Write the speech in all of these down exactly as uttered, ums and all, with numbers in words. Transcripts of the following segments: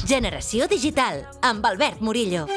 Generació Digital, amb Albert Murillo.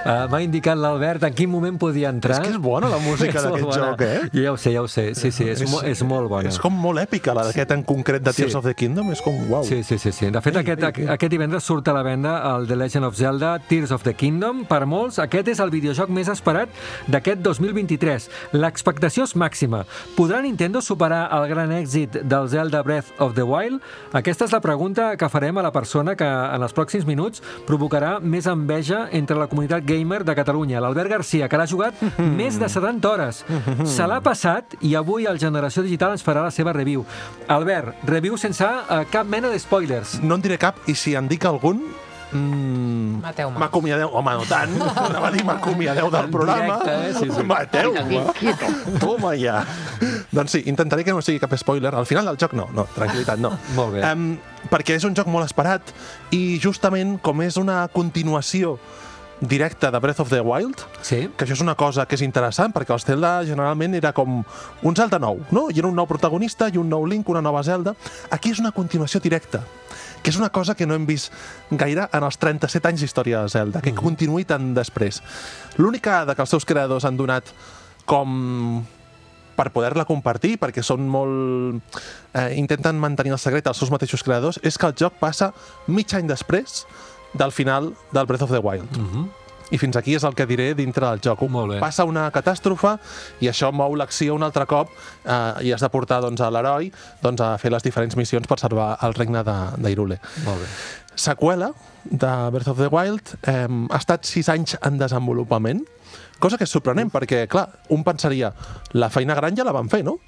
Uh, M'ha indicat l'Albert en quin moment podia entrar. És que és bona la música d'aquest joc, eh? Ja ho sé, ja ho sé. Sí, sí, és, és, mo és molt bona. És com molt èpica, la d'aquest en concret de Tears sí. of the Kingdom. És com, uau. Sí, sí, sí. sí. De fet, ei, aquest, ei, ei. aquest divendres surt a la venda el The Legend of Zelda Tears of the Kingdom. Per molts, aquest és el videojoc més esperat d'aquest dos mil vint-i-tres. L'expectació és màxima. Podrà Nintendo superar el gran èxit del Zelda Breath of the Wild? Aquesta és la pregunta que farem a la persona que en els pròxims minuts provocarà més enveja entre la comunitat gamer de Catalunya, l'Albert Garcia, que l'ha jugat mm-hmm. més de setanta hores. Mm-hmm. Se l'ha passat i avui el Generació Digital ens farà la seva review. Albert, review sense uh, cap mena de spoilers. No en diré cap, i si en dic algun... Mm, Mateu-me. M'acomiadeu, home, no tant. Anava a dir m'acomiadeu del programa. Directe, eh? Sí, sí. Mateu-me. Toma ja. Doncs sí, intentaré que no sigui cap spoiler. Al final del joc no, no, tranquil·litat, no. Molt bé. Um, perquè és un joc molt esperat i justament com és una continuació directe de Breath of the Wild, sí. que això és una cosa que és interessant, perquè el Zelda generalment era com un Zelda nou, no? Hi era un nou protagonista i un nou Link, una nova Zelda. Aquí és una continuació directa, que és una cosa que no hem vist gaire en els trenta-set anys d'història de Zelda, que mm-hmm. continuï tant després. L'única dada que els seus creadors han donat com per poder-la compartir, perquè són molt... Eh, intenten mantenir el secret als seus mateixos creadors, és que el joc passa mig any després del final del Breath of the Wild. Uh-huh. I fins aquí és el que diré dintre del joc. Passa una catàstrofe i això mou l'acció un altre cop eh, i has de portar doncs, a l'heroi doncs, a fer les diferents missions per salvar el regne d'Hyrule. Molt bé. Seqüela de Breath of the Wild eh, ha estat sis anys en desenvolupament, cosa que és sorprenent, perquè, clar, un pensaria la feina gran ja la van fer, no?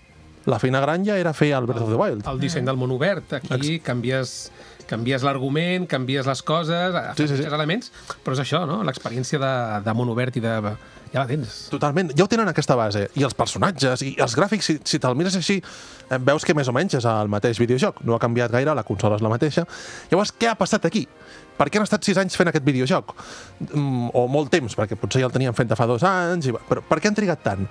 La feina gran ja era fer el Breath of the Wild. El disseny del món obert. Aquí canvies... canvies l'argument, canvies les coses, sí, sí, sí. els elements, però és això, no? L'experiència de, de món obert i de... ja la tens. Totalment. Ja ho tenen aquesta base. I els personatges, i els gràfics, si, si te'l mires així, veus que més o menys és el mateix videojoc. No ha canviat gaire, la consola és la mateixa. Llavors, què ha passat aquí? Per què han estat sis anys fent aquest videojoc? Mm, o molt temps, perquè potser ja el tenien fent de fa dos anys, i... però per què han trigat tant?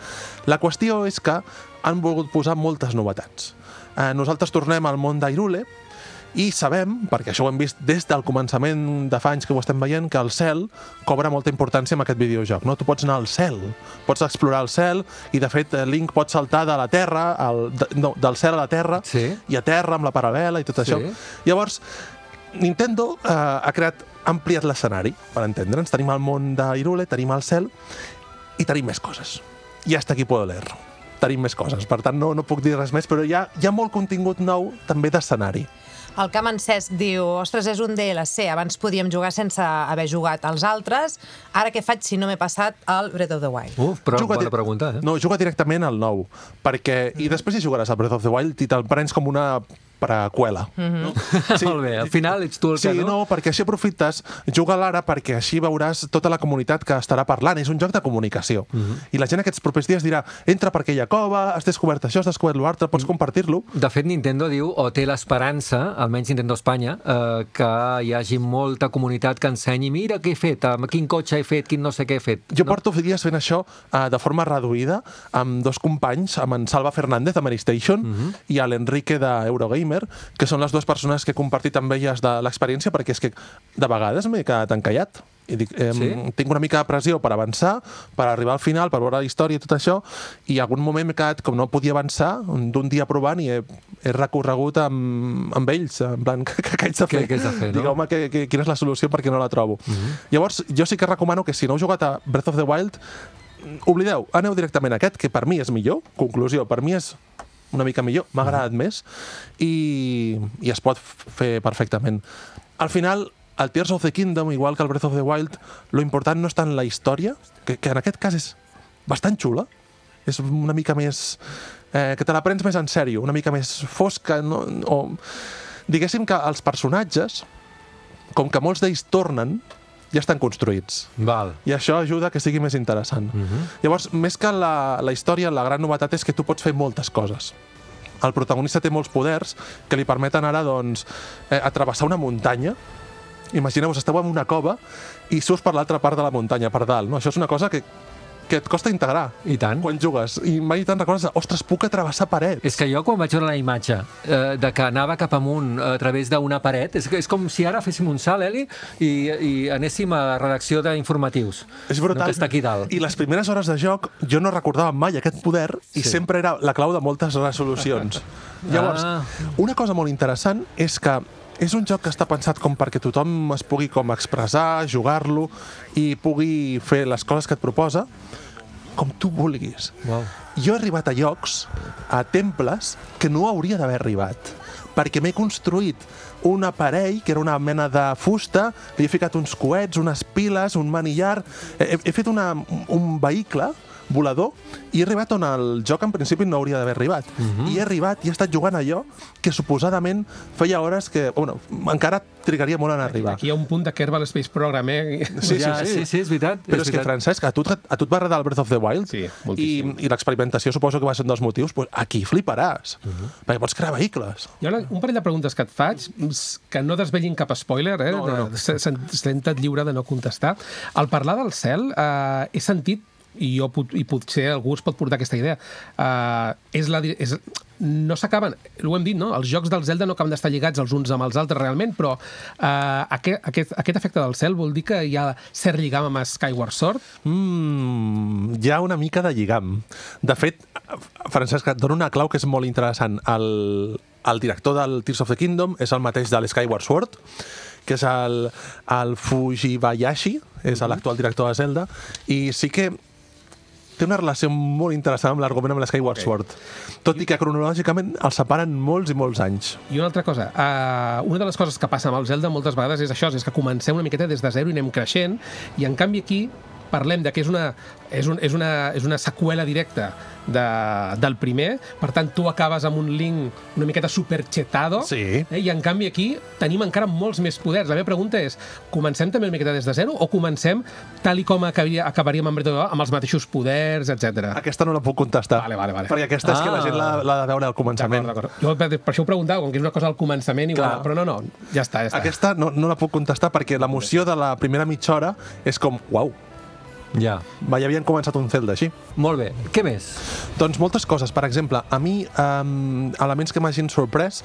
La qüestió és que han volgut posar moltes novetats. Eh, nosaltres tornem al món d'Hyrule, i sabem, perquè això ho hem vist des del començament de fa anys que ho estem veient, que el cel cobra molta importància en aquest videojoc. No? Tu pots anar al cel, pots explorar el cel, i de fet Link pot saltar de la terra, al, de, no, del cel a la terra, sí. i a terra amb la paral·lela i tot sí. això. Llavors, Nintendo eh, ha creat, ha ampliat l'escenari, per entendre'ns. Tenim el món d'Hyrule, tenim el cel, i tenim més coses. I hasta aquí puedo leer. Tenim més coses, per tant no, no puc dir res més, però hi ha, hi ha molt contingut nou també d'escenari. El Camp en Cesc diu, ostres, és un D L C, abans podíem jugar sense haver jugat als altres, ara què faig si no m'he passat al Breath of the Wild? Uf, però juga bona pregunta, eh? No, juga directament al nou, perquè, mm. i després hi jugaràs al Breath of the Wild i te'l prens com una preqüela. Mm-hmm. No? Sí. Molt bé, al final ets tu el sí, que no? Sí, no, perquè així aprofites, juga l'ara perquè així veuràs tota la comunitat que estarà parlant. És un joc de comunicació. Mm-hmm. I la gent aquests propers dies dirà, entra per aquella cova, has descobert això, has descobert l'altre, pots mm. compartir-lo. De fet, Nintendo diu, o té l'esperança, almenys Nintendo Espanya, eh, que hi hagi molta comunitat que ensenyi, mira què he fet, amb quin cotxe he fet, quin no sé què he fet. Jo no? porto dies fent això eh, de forma reduïda amb dos companys, amb en Salva Fernández de Maristation mm-hmm. i a l'Enrique d'Eurogamer, que són les dues persones que he compartit amb elles de l'experiència, perquè és que de vegades m'he quedat encallat. I dic, eh, sí? Tinc una mica de pressió per avançar, per arribar al final, per veure la història i tot això, i en algun moment m'he quedat, com no podia avançar, d'un dia provant i he, he recorregut amb, amb ells, en plan, què, què haig de fer? Què haig de fer, no? Digueu-me que, que, quina és la solució perquè no la trobo. Mm-hmm. Llavors, jo sí que recomano que si no heu jugat a Breath of the Wild, oblideu, aneu directament a aquest, que per mi és millor, conclusió, per mi és una mica millor, m'ha agradat més i, i es pot fer perfectament. Al final, el Tears of the Kingdom, igual que el Breath of the Wild, lo important no és tant la història, que, que en aquest cas és bastant xula, és una mica més... Eh, que te la prens més en sèrio, una mica més fosca, no? O diguéssim que els personatges, com que molts d'ells tornen, ja estan construïts. Val. I això ajuda que sigui més interessant. Uh-huh. Llavors, més que la, la història, la gran novetat és que tu pots fer moltes coses. El protagonista té molts poders que li permeten ara doncs, eh, atravessar una muntanya imagineu-vos, esteu en una cova i surts per l'altra part de la muntanya, per dalt, no? Això és una cosa que que et costa integrar. I tant. Quan jugues. I mai te'n recordes, ostres, puc atrevessar parets. És que jo quan vaig veure la imatge eh, de que anava cap amunt a través d'una paret, és, és com si ara féssim un salt, Eli, i, i anéssim a la redacció d'informatius. És brutal. No, que està aquí dalt. I les primeres hores de joc jo no recordava mai aquest poder i Sí. sempre era la clau de moltes resolucions. Llavors, Ah. una cosa molt interessant és que és un joc que està pensat com perquè tothom es pugui com expressar, jugar-lo i pugui fer les coses que et proposa com tu vulguis. Wow. Jo he arribat a llocs, a temples, que no hauria d'haver arribat, perquè m'he construït un aparell, que era una mena de fusta, li he ficat uns coets, unes piles, un manillar... He, he fet una, un vehicle volador i he arribat on el joc en principi no hauria d'haver arribat. Uh-huh. I he arribat i he estat jugant allò que suposadament feia hores que... Bueno, encara trigaria molt en arribar. Aquí hi ha un punt de Kerbal Space Program, eh? Sí, ja, sí, sí. sí, sí, és veritat. Però és és que, veritat. Francesc, a tu, a tu et va agradar el Breath of the Wild? Sí, I, moltíssim. i l'experimentació suposo que va ser un dels motius. Pues aquí fliparàs, uh -huh. perquè pots crear vehicles. Hi ha una, un parell de preguntes que et faig, que no desvellin cap spoiler, eh? No, no. De- se- se- Senta't lliure de no contestar. Al parlar del cel, eh, he sentit, i, jo, pot- i potser algú es pot portar aquesta idea, eh, és la, di- és, no s'acaben, ho hem dit, no? Els jocs del Zelda no acaben d'estar lligats els uns amb els altres realment, però eh, aquest, aquest, aquest efecte del cel vol dir que hi ha cert lligam amb Skyward Sword? Mm, hi ha una mica de lligam. De fet, Francesc, et dono una clau que és molt interessant. El, el director del Tears of the Kingdom és el mateix de l'Skyward Sword, que és el, el Fujibayashi, és l'actual director de Zelda, i sí que té una relació molt interessant amb l'argument amb l'Skyward Ok. Sword, tot i que cronològicament els separen molts i molts anys. I una altra cosa, uh, una de les coses que passa amb el Zelda moltes vegades és això, és que comencem una miqueta des de zero i anem creixent, i en canvi aquí parlem de que és una, és un, és una, és una seqüela directa de, del primer, per tant tu acabes amb un Link una miqueta superchetado, Sí. eh, i en canvi aquí tenim encara molts més poders. La meva pregunta és, comencem també una miqueta des de zero o comencem tal i com acabaria, acabaríem amb Breath of the Wild, amb els mateixos poders, etcètera? Aquesta no la puc contestar. Vale, vale, vale. Perquè aquesta és que la Ah. gent l'ha l'ha de veure al començament. D'acord, d'acord. Jo per per això ho preguntava, com que és una cosa al començament, igual, Clar. però no, no, ja està, ja està. Aquesta no, no la puc contestar perquè l'emoció de la primera mitja hora és com, uau, Ja. mai havien començat un Zelda així. Molt bé. Què més? Doncs moltes coses. Per exemple, a mi, um, elements que m'hagin sorprès,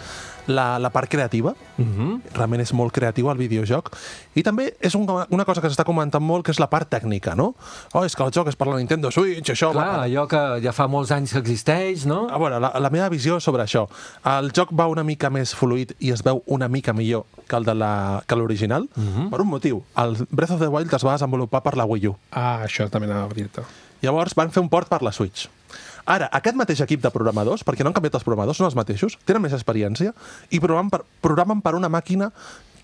la, la part creativa. Uh -huh. Realment és molt creatiu el videojoc. I també és un, una cosa que s'està comentant molt, que és la part tècnica, no? Oh, és que el joc és per la Nintendo Switch, això... Clar, va, allò que ja fa molts anys que existeix, no? A veure, la, la meva visió sobre això. El joc va una mica més fluid i es veu una mica millor que el de la- que l'original, uh -huh. per un motiu. El Breath of the Wild es va desenvolupar per la Wii U. Ah, això també anava a dir-te. Llavors van fer un port per la Switch. Ara, aquest mateix equip de programadors, perquè no han canviat els programadors, són els mateixos, tenen més experiència i programen per, programen per una màquina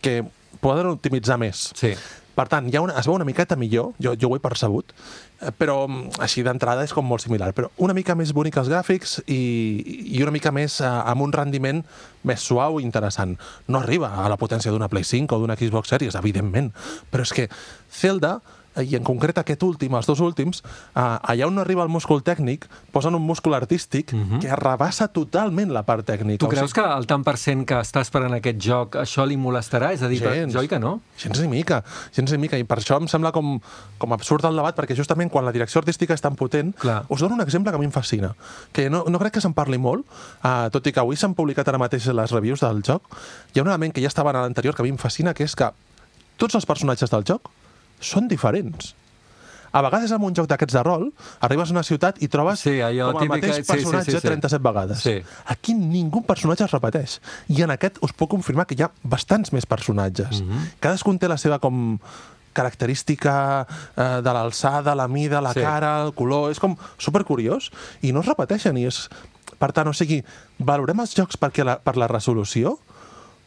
que poden optimitzar més. Sí. Per tant, hi ha una, es veu una miqueta millor, jo, jo ho he percebut, eh, però mm, així d'entrada és com molt similar, però una mica més bonic els gràfics i, i una mica més eh, amb un rendiment més suau i interessant. No arriba a la potència d'una Play cinc o d'una Xbox Series, evidentment, però és que Zelda, i en concret aquest últim, els dos últims, eh, allà on no arriba el múscul tècnic, posen un múscul artístic uh -huh. que arrabassa totalment la part tècnica. Tu O creus sigui, que el tant per cent que està esperant aquest joc, això li molestarà? És a dir, Gens. jo oi que no? Gens ni mica, gens ni mica. I per això em sembla com, com absurd el debat, perquè justament quan la direcció artística és tan potent, Clar. us dono un exemple que a mi em fascina, que no, no crec que se'n parli molt, uh, tot i que avui s'han publicat ara mateix les reviews del joc. Hi ha un element que ja estava en l'anterior que a mi em fascina, que és que tots els personatges del joc són diferents. A vegades en un joc d'aquests de rol, arribes a una ciutat i trobes Sí, allò com el típica- mateix sí, sí, personatge sí, sí. trenta-set vegades. Sí. Aquí ningú personatge es repeteix. I en aquest us puc confirmar que hi ha bastants més personatges. Mhm. Cadascun té la seva com característica eh, de l'alçada, la mida, la Sí. cara, el color... És com supercuriós i no es repeteixen. I és... Per tant, o sigui, valorem els jocs perquè la, per la resolució,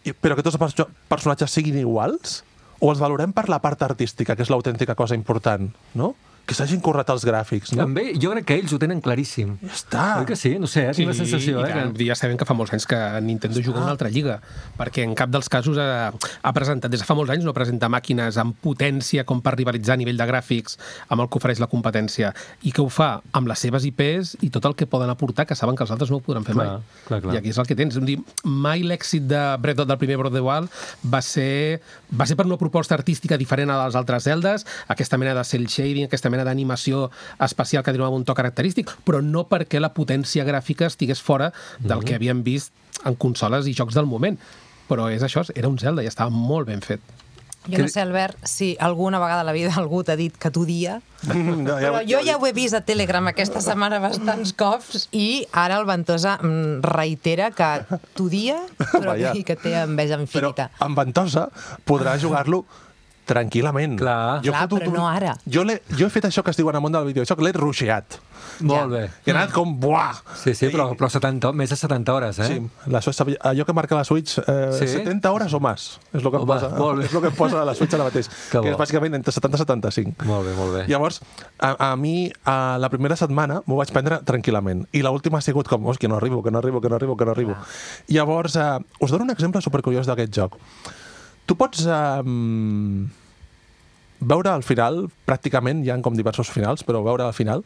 i- però que tots els perso- personatges siguin iguals, o els valorem per la part artística, que és l'autèntica cosa important, no? que s'hagin currat els gràfics, no? També, jo crec que ells ho tenen claríssim. Ja està. Oi que sí? No sé, eh? tinc la sensació. i Eh, tant, que... ja sabem que fa molts anys que Nintendo juga en una altra lliga, perquè en cap dels casos ha, ha presentat, des de fa molts anys no presenta màquines amb potència com per rivalitzar a nivell de gràfics amb el que ofereix la competència, i que ho fa amb les seves I Pes i tot el que poden aportar, que saben que els altres no ho podran fer Clar, mai. clar, clar. I aquí és el que tens. Dir, mai l'èxit de Breath of, del primer Breath of the Wild va ser, va ser per una proposta artística diferent a les altres Zeldes, aquesta mena de cel shading, aquesta mena d'animació espacial que donava un to característic, però no perquè la potència gràfica estigués fora del que havíem vist en consoles i jocs del moment. Però és això, era un Zelda i estava molt ben fet. Jo no sé, Albert, si alguna vegada a la vida algú t'ha dit que t'odia, No, però jo ja ho he vist a Telegram aquesta setmana bastants cops i ara el Ventosa mm, reitera que t'odia, però Vaja. que, que té enveja Però infinita. amb Ventosa podrà jugar-lo tranquil·lament. Clar. Clar, fotut però no ara. Jo, l'he- jo he fet això que es diu en el món del videojoc, l'he rusheat. Molt bé. I he anat com, buah! Sí, sí, però, però setanta, més de setanta hores, eh? Sí, la, allò que marca la Switch, eh, Sí? setanta hores o més, és el que, em Home, posa, molt bé. és el que em posa a la Switch ara mateix, Que que bo. és bàsicament entre setanta i setanta-cinc. Molt bé, molt bé. Llavors, a, a mi, a la primera setmana m'ho vaig prendre tranquil·lament, i l'última ha sigut com, oh, que no arribo, que no arribo, que no arribo, que no arribo. Llavors, eh, us dono un exemple supercuriós d'aquest joc. Tu pots... Eh, veure al final, pràcticament, hi ha com diversos finals, però veure al final,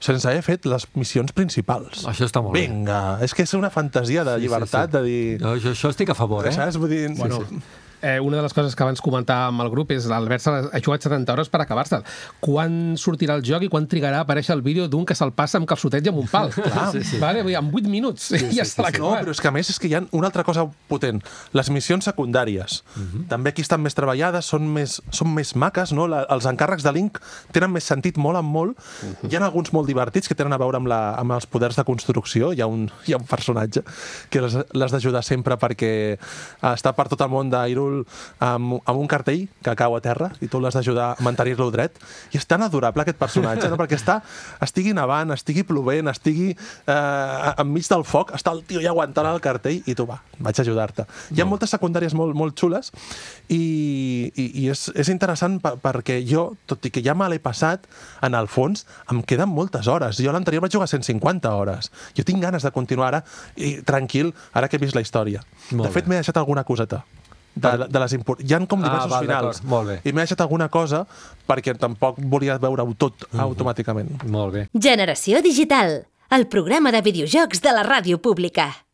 sense haver fet les missions principals. Això està molt bé. Vinga, és que és una fantasia de Sí, sí, llibertat, sí. de dir... Jo, jo, això estic a favor, eh? Saps? Vull dir... Bueno, sí, sí. Eh, una de les coses que abans comentàvem amb el grup és l'Albert ha jugat setanta hores per acabar-se'l. Quan sortirà el joc i quan trigarà a aparèixer el vídeo d'un que se'l passa amb calçotet i amb un pal? Clar, sí, sí. Vale? Vull dir, en vuit minuts sí, ja sí, se l'ha sí, sí. No, acabat. però és que a més és que hi ha una altra cosa potent. Les missions secundàries. Uh -huh. També aquí estan més treballades, són més, són més maques, no? La, els encàrrecs de Link tenen més sentit, molen molt. Uh -huh. Hi ha alguns molt divertits que tenen a veure amb, la, amb els poders de construcció. Hi ha un, hi ha un personatge que l'has d'ajudar sempre perquè està per tot el món d'Hyrule amb, amb un cartell que cau a terra i tu l'has d'ajudar a mantenir-lo dret. I és tan adorable aquest personatge, no? Perquè està, estigui nevant, estigui plovent, estigui eh, enmig del foc, està el tio ja aguantant el cartell i tu, va, vaig a ajudar-te. Hi ha moltes secundàries molt, molt xules i, i, i és, és interessant per, perquè jo, tot i que ja me l'he passat, en el fons em queden moltes hores. Jo l'anterior vaig jugar cent cinquanta hores. Jo tinc ganes de continuar ara i tranquil, ara que he vist la història. Molt de fet, bé. m'he deixat alguna coseta. De, de les import... Hi ha com diversos Ah, val, finals. d'acord, molt bé. I m'he deixat alguna cosa perquè tampoc volia veure-ho tot Mhm. automàticament. Molt bé. Generació Digital, el programa de videojocs de la ràdio pública.